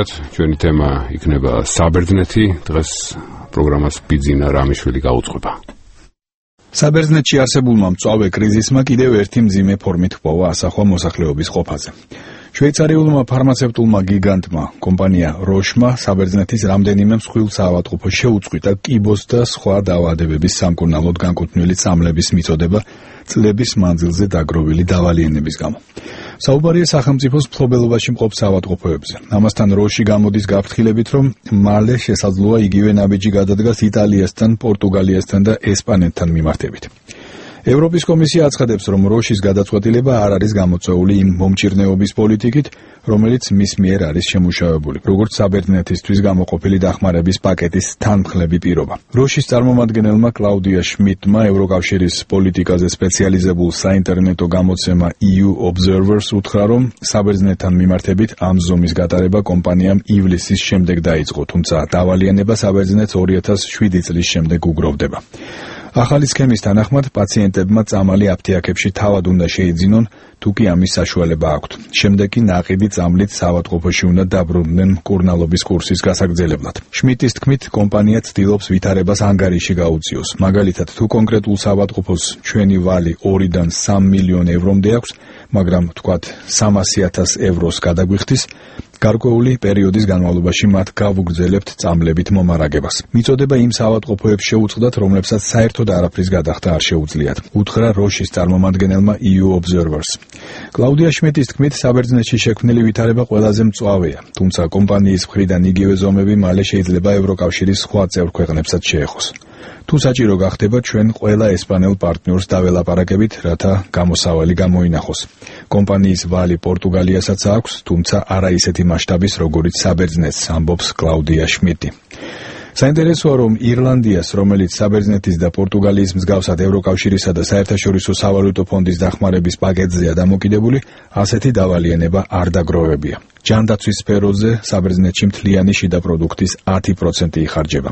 ჩვენი თემა იქნება საბერძნეთი. დღეს პროგრამას ბიძინა რამიშვილი გაუძღვება. საბერძნეთში არსებულმა მწვავე კრიზისმა კიდევ ერთი მძიმე ფორმით ჰპოვა ასახვა მოსახლეობის ყოფაზე. შვეიცარიულმა ფარმაცევტულმა გიგანტმა კომპანია როშმა საბერძნეთის რამდენიმე მსხვილ საავადმყოფოს შეუწყვიტა კიბოს და სხვა დაავადებების სამკურნალოდ განკუთვნილი წამლების მიწოდება წლების მანძილზე დაგროვილი დავალიენების გამო. საუბარია სახელმწიფოს მფლობელობაში მყოფ საავადმყოფოებზე. ამასთან როში გამოდის გაფრთხილებით, რომ მალე შესაძლოა იგივე ნაბიჯი გადადგას იტალიასთან, პორტუგალიასთან და ესპანეთთან მიმართებით. ევროპის კომისია აცხადებს, რომ როშის გადაწყვეტილება არ არის გამოწვეული იმ მომჭირნეობის პოლიტიკით, რომელიც მის მიერ არის შემუშავებული, როგორც საბერძნეთისთვის გამოყოფილი დახმარების პაკეტის თანმხლები პირობა. როშის წარმომადგენელმა კლაუდია შმიდტმა ევროკავშირის პოლიტიკაზე სპეციალიზებულ საინტერნეტო გამოცემა EU Observers უთხრა, რომ საბერძნეთთან მიმართებით ამ ზომის გატარება კომპანიამ ივლისის შემდეგ დაიწყო, თუმცა დავალიანება საბერძნეთს 2007 წლის შემდეგ უგროვდება. ახალი სქემის თანახმად პაციენტებმა წამალი აფთიაქებში თავად უნდა შეიძინონ, თუ კი ამის საშუალება აქვთ. შემდეგ კი ნაყიდი წამლით საავადმყოფოში უნდა დაბრუნდნენ მკურნალობის კურსის გასაგრძელებლად. შმიდტის თქმით, კომპანია ცდილობს ვითარებას ანგარიში გაუწიოს. მაგალითად, თუ კონკრეტულ საავადმყოფოს ჩვენი ვალი 2-დან 3 მილიონ ევრომდე აქვს, მაგრამ თქვათ 300,000 ევროს გადაგვიხდის, გარკვეული პერიოდის განმავლობაში მათ გავუგრძელებთ წამლებით მომარაგებას. მიწოდება იმ საავადმყოფოებს შეუწყდათ, რომლებსაც საერთოდ არაფრის გადახდა არ შეუძლიათ, უთხრა როშის წარმომადგენელმა EU Observers. კლაუდია შმიდტის თქმით, საბერძნეთში შექმნილი ვითარება ყველაზე მწვავეა, თუმცა კომპანიის მხრიდან იგივე ზომები მალე შეიძლება ევროკავშირის სხვა წევრ ქვეყნებსაც შეეხოს. თუ საჭირო გახდება, ჩვენ ყველა ესპანელ პარტნიორს დაველაპარაკებით, რათა გამოსავალი გამოინახოს. კომპანიის ვალი პორტუგალიასაც აქვს, თუმცა არა ისეთი მასშტაბის, როგორიც საბერძნეთს, ამბობს კლაუდია შმიდტი. საინტერესოა, რომ ირლანდიას, რომელიც საბერძნეთის და პორტუგალიის მსგავსად ევროკავშირისა და საერთაშორისო სავალუტო ფონდის დახმარების პაკეტზეა დამოკიდებული, ასეთი დავალიანება არ დაგროვებია. ჯანდაცვის სფეროზე საბერძნეთში მთლიანი შიდა პროდუქტის 10% იხარჯება.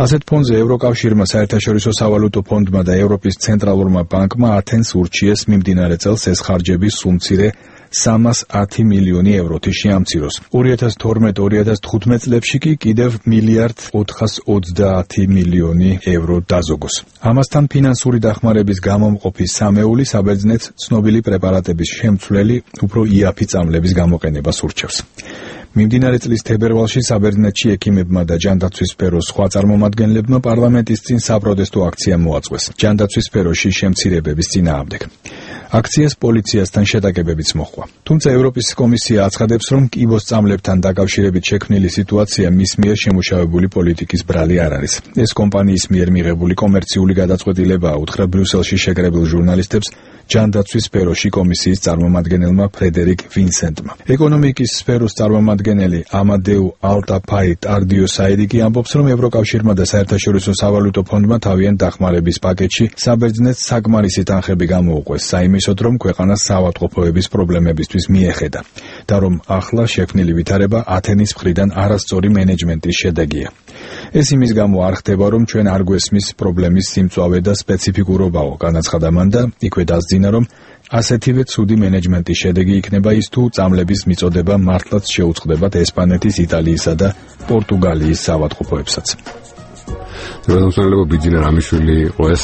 ასეთ ფონზე ევროკავშირმა, საერთაშორისო სავალუტო ფონდმა და ევროპის ცენტრალურმა ბანკმა ათენს ურჩიეს მიმდინარე წელს ეს ხარჯები სულ მცირე 310 მილიონი ევროთი შეამციროს. 2012-2015 წლებში კი კიდევ 1,430 მილიონი евро დაზოგოს. ამასთან ფინანსური დახმარების გამომყოფი სამეული საბერძნეთს ცნობილი პრეპარატების შემცვლელი, უფრო იაფი წამლების გამოყენებას ურჩევს. მიმდინარე წლის თებერვალში საბერძნეთში ექიმებმა და ჯანდაცვის სფეროს სხვა წარმომადგენლებმა პარლამენტის წინ საპროტესტო აქცია მოაწყვეს ჯანდაცვის სფეროში შემცირებების წინააღმდეგ. აქციას პოლიციასთან შეტაკებებიც მოჰყვა. თუმცა ევროპის კომისია აცხადებს, რომ კიბოს წამლებთან დაკავშირებით შექმნილი სიტუაცია მის მიერ შემუშავებული პოლიტიკის ბრალი არ არის. ეს კომპანიის მიერ მიღებული კომერციული გადაწყვეტილებაა, უთხრა ბრიუსელში შეკრებილ ჟურნალისტებს ჯანდაცვის სფეროში კომისიის წარმომადგენელმა ფრედერიკ ვინსენტმა. ეკონომიკის სფეროს წარმომადგენელი ამადეუ ალტაფაი ტარდიოსაიდი კი ამბობს, რომ ევროკავშირმა და საერთაშორისო სავალუტო ფონდმა თავიანთ დახმარების პაკეტში საბერძნეთს საკმარისი თანხები გამოუყვეს საიმისოდ, რომ ქვეყანას საავადმყოფოების პრობლემებისთვის მიეხედა და რომ ახლა შექმნილი ვითარება ათენის მხრიდან არასწორი მენეჯმენტის შედეგია. ეს იმის გამო არ ხდება, რომ ჩვენ არ გვესმის პრობლემის სიმწვავე და სპეციფიკურობაო, განაცხადა მან და იქვე დასძინა, რომ ასეთივე ცუდი მენეჯმენტის შედეგი იქნება ის, თუ წამლების მიწოდება მართლაც შეუწყდებათ ესპანეთის, იტალიისა და პორტუგალიის საავადმყოფოებსაც. დროშმსმენელებო ბიძინა რამიშვილი იყო ეს